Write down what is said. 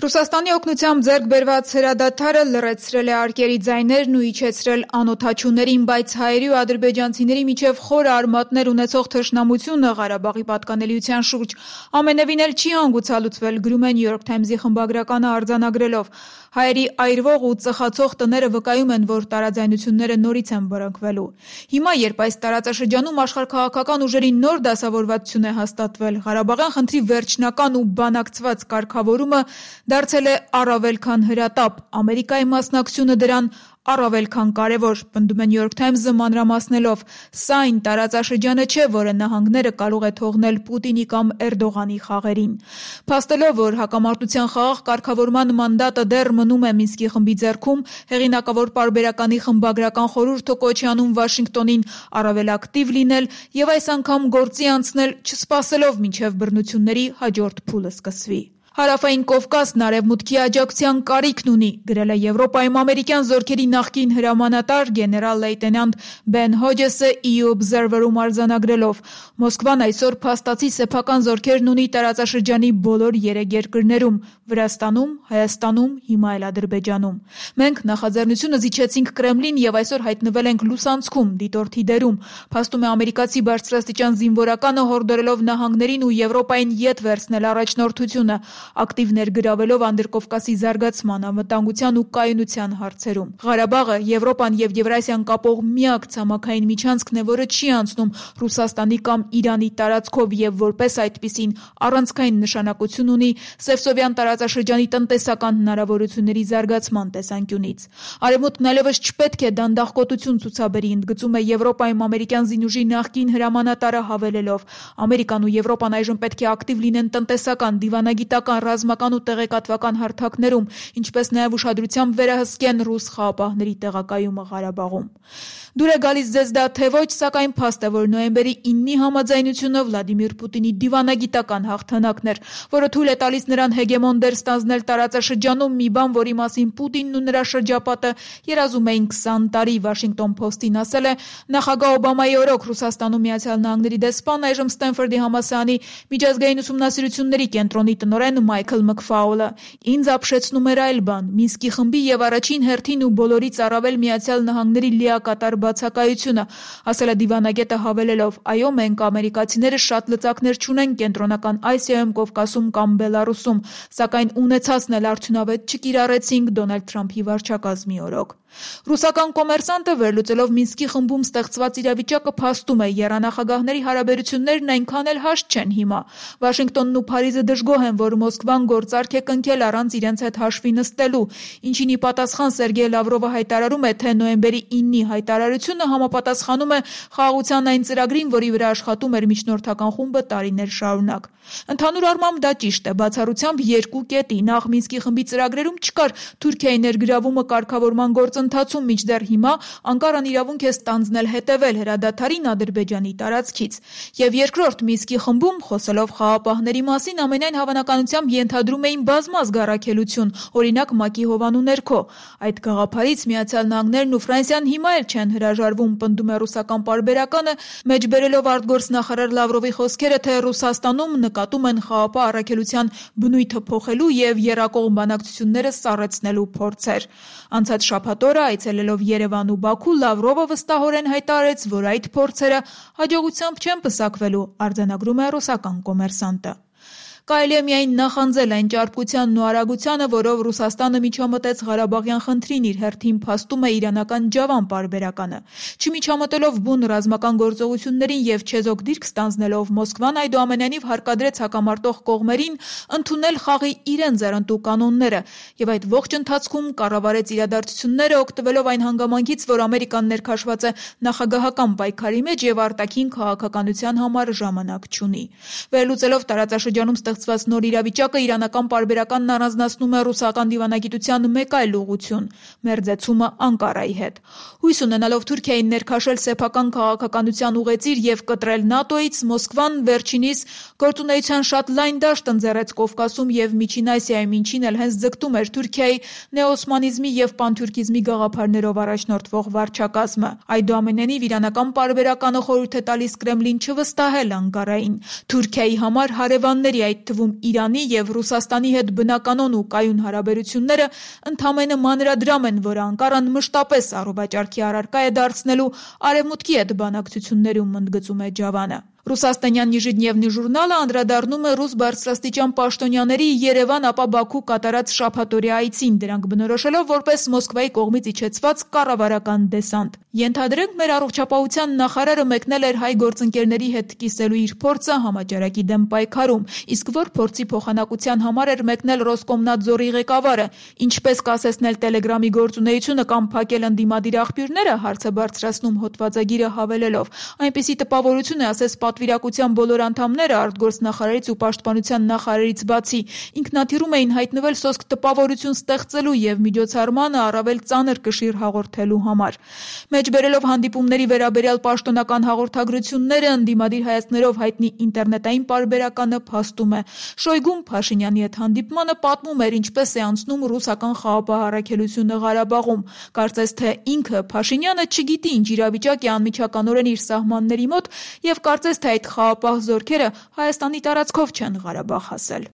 Ռուսաստանի օգնությամբ ձեռք բերված հրադադարը լռեցրել է արկերի ձայներն ու իջեցրել անօդաչուներին, բայց հայերի ու ադրբեջանցիների միջև խորը արմատներ ունեցող թշնամությունը Ղարաբաղի պատկանելիության շուրջ ամենևին էլ չի հանգուցալուծվել, գրում է New York Times-ի խմբագրականը արձանագրելով. հայերի այրվող ու ծխացող տները վկայում են, որ տարաձայնությունները նորից են բռնկվելու։ Հիմա, երբ այս տարածաշրջանում աշխարհաքաղաքական ուժերի նոր դասավորվածություն է հաստատվել, Ղարաբաղյան խնդրի վերջնական ու բանակցված կարգավորումը դարձել է առավել քան հրատապ, Ամերիկայի մասնակցությունը դրան առավել քան կարևոր, պնդում է New York Times-ը մանրամասնելով. սա այն տարածաշրջանը չէ, որը նահանգները կարող է թողնել Պուտինի կամ Էրդողանի խաղերին։ Փաստելով, որ հակամարտության խաղաղ կարգավորման մանդատը դեռ մնում է Մինսկի խմբի ձեռքում, հեղինակավոր պարբերականի խմբագրական խորհուրդը կոչ է անում Վաշինգտոնին առավել ակտիվ լինել եւ այս անգամ գործի անցնել, չսպասելով մինչեւ բռնությունների հաջորդ փուլը սկսվի։ Հարավային Կովկասն արևմուտքի աջակցության կարիքն ունի, գրել է Եվրոպայում ամերիկյան զորքերի նախկին հրամանատար գեներալ-լեյտենանտ Բեն Հոջեսը EU Observer-ում արձանագրելով. Մոսկվան այսօր փաստացի սեփական զորքերն ունի տարածաշրջանի բոլոր 3 երկրներում՝ Վրաստանում, Հայաստանում, հիմա էլ Ադրբեջանում։ Մենք նախաձեռնությունը զիջեցինք Կրեմլին եւ այսօր հայտնվել ենք լուսանցքում, դիտորդի դերում, փաստում է ամերիկացի բարձրաստիճան զինվորականը հորդորելով նահանգներին ու Եվրոպային ետ վերցնել առաջնորդությունը, ակտիվ ներգրավելով Անդրկովկասի զարգացման, անվտանգության ու կայունության հարցերում։ Ղարաբաղը Եվրոպան եւ Եվրասիան կապող միակ ցամաքային միջանցքն է, որը չի անցնում Ռուսաստանի կամ Իրանի տարածքով եւ որպես այդպիսին առանցքային նշանակություն ունի Սևսովյան տարածաշրջանի տնտեսական հնարավորությունների զարգացման տեսանկյունից։ Արևմուտքն այլևս չպետք է դանդաղկոտություն ցուցաբերի, ընդգծում է Եվրոպայում ամերիկյան զինուժի նախկին հրամանատարը հավելելով. Ամերիկան ու Եվրոպան այժմ պետք է ակտիվ լինեն տնտեսական, դիվանագիտական, ռազմական ու տեղեկատվական հարթակներում, ինչպես նաև ուշադրությամբ վերահսկեն ռուս խաղապահների տեղակայումը Ղարաբաղում։ Դուր է գալիս ձեզ դա թե ոչ, սակայն փաստ է, որ նոյեմբերի 9-ի համաձայնությունը Վլադիմիր Պուտինի դիվանագիտական հաղթանակն էր, որը թույլ է տալիս նրան հեգեմոն դեր ստանձնել տարածաշրջանում, մի բան, որի մասին Պուտինն ու նրա շրջապատը երազում էին 20 տարի, Washington Post-ին ասել է նախագահ Օբամայի օրոք Ռուսաստանում Միացյալ Նահանգների դեսպան, այժմ Ստենֆորդի համալսարանի միջազգային ուսումնասիրությունների կենտրոնի տնօրեն Մայքլ Մքֆաուլը։ Ինձ ապշեցնում էր այլ բան՝ Մինսկի խմբի եւ առաջին հերթին ու բոլորից առավել Միացյալ Նահանգների լիակատար բացակայությունը, ասել է դիվանագետը հավելելով. այո, մենք ամերիկացիները շատ լծակներ չունենք Կենտրոնական Ասիայում, Կովկասում կամ Բելարուսում, սակայն ունեցածն էլ արդյունավետ չկիրառեցինք Դոնալդ Թրամփի վարչակազմի օրոք։ Ռուսական կոմերսանտը վերլուծելով Մինսկի խմբում ստեղծված իրավիճակը փաստում է, եռանախագահների հարաբերություններն այնքան էլ հաշտ չեն հիմա։ Վաշինգտոնն ու Փարիզը դժգոհ են, որ Մոսկվան գործարք է կնքել առանց իրենց հետ հաշվի նստելու, ինչին ի պատասխան Սերգեյ Լավրովը հայտարարում է, թե նոյեմբերի 9-ի հայտարարությունը համապատասխանում է խաղաղության այն ծրագրին, որի վրա աշխատում էր միջնորդական խումբը տարիներ շարունակ։ Ընդհանուր առմամբ դա ճիշտ է, բացառությամբ երկու կետի, նախ Մինսկի խմբի ծրագրերում չկար Թուրքիայի ներգրավումը կարգավորման գործընթացում, մինչդեռ հիմա Անկարան իրավունք է ստանձնել հետևել հրադադարին Ադրբեջանի տարածքից։ Եվ երկրորդ, Մինսկի խմբում, խոսելով խաղապահների մասին, ամենայն հավանականությամբ ենթադրում էին բազմազգ առաքելություն, օրինակ ՄԱԿ-ի հովանու ներքո։ Այդ գաղափարից Միացյալ Նահանգներն ու Ֆրանսիան հիմա էլ չեն հրաժարվում, պնդում է ռուսական պարբերականը, մեջբերելով արտգործնախարար Լավրովի խոսքերը, թե Ռուսաստանում նկատում են խաղապահ առաքելության բնույթը փոխելու եւ եռակողմ բանակցությունները սառեցնելու փորձեր։ Անցած շաբաթ օրը այցելելով Երևան ու Բաքու, Լավրովը վստահորեն հայտարարեց, որ այդ փորձերը հաջողությամբ չեն պսակվելու, արձանագրում է ռուսական կոմերսանտը։ Կարելի է միայն նախանձել այն ճարպկությանն ու արագությանը, որով Ռուսաստանը միջամտեց Ղարաբաղյան խնդրին, իր հերթին փաստում է իրանական Ջավան պարբերականը։ Չմիջամտելով բուն ռազմական գործողություններին եւ չեզոք դիրք ստանձնելով, Մոսկվան այդուամենայնիվ հարկադրեց հակամարտող կողմերին ընդունել խաղի իրենց ձեռնտու կանոնները եւ այդ ողջ ընթացքում կառավարեց իրադարձությունները, օգտվելով այն հանգամանքից, որ Ամերիկան ներքաշված է նախագահական պայքարի մեջ եւ արտաքին քաղաքականության համար ժամանակ չունի։ Վերլուծելով տարածաշրջանում ստեղծված նոր իրավիճակը, իրանական պարբերականն առանձնացնում է ռուսական դիվանագիտության մեկ այլ ուղղություն՝ մերձեցումը Անկարայի հետ։ Հույս ունենալով Թուրքիային ներքաշել սեփական քաղաքականության ուղեծիր եւ կտրել ՆԱՏՕ-ից, Մոսկվան վերջինիս գործունեության շատ լայն դաշտ ընձեռեց Կովկասում եւ Միջին Ասիայում, ինչին էլ հենց ձգտում էր Թուրքիայի նեոօսմանիզմի եւ պանթուրքիզմի գաղափարներով առաջնորդվող վարչակազմը։ Այդուամենայնիվ իրանական պարբերականը խորհուրդ է տալիս Կրեմլին չվստահել Անկարային։ Թուրքիայի համար հարևանների, այդ այդ թվում Իրանի և Ռուսաստանի հետ բնականon ու կայուն հարաբերությունները ընդամենը մանրադրամ են, որը Անկարան մշտապես առողջարքի առարկա է դարձնելու Արևմուտքի հետ բանակցություններում, ընդգծում է Ջավանը։ Ռուսաստանյան «Նիժնևնի» ժուրնալը անդրադառնում է ռուս բարձրաստիճան պաշտոնյաների Երևան ապա Բաքու կատարած շաբաթօրյա այցին, դրանք բնորոշելով որպես Մոսկվայի կողմից իջեցված կառավարական դեսանտ։ Ենթադրենք, մեր առողջապահության նախարարը մեկնել էր հայ գործընկերների հետ կիսելու իր փորձը համաճարակի դեմ պայքարում, իսկ որ փորձի փոխանակության համար էր մեկնել Ռոսկոմնadzորի ղեկավարը։ Ինչպես կասեցնել Տելեգրամի գործունեությունը կամ փակել ընդդիմադիր աղբյուրները, հարց է բարձրացնում հոդվածագիրը հավելելով. այնպիսի տպավորություն է, ասես պատվիրակության բոլոր անդամները արտգործնախարարից ու պաշտպանության նախարարից բացի ինքնաթիռում էին հայտնվել սոսկ տպավորություն ստեղծելու և միջոցառմանը առավել ծանր կշիռ հաղորդելու համար։ Մեջբերելով հանդիպումների վերաբերյալ պաշտոնական հաղորդագրությունները, ընդդիմադիր հայացքներով հայտնի ինտերնետային պարբերականը փաստում է. Շոյգուն Փաշինյանի հետ հանդիպմանը պատմում էր, ինչպես է անցնում ռուսական խաղապահ առաքելությունը Ղարաբաղում։ Կարծես թե ինքը Փաշինյանը չգիտի ինչ իրավիճակ է անմիջականորեն իր սահմանների մոտ և կարծես թե այդ խաղապահ զորքերը Հայաստանի տարածքով չեն Ղարաբաղ հասել։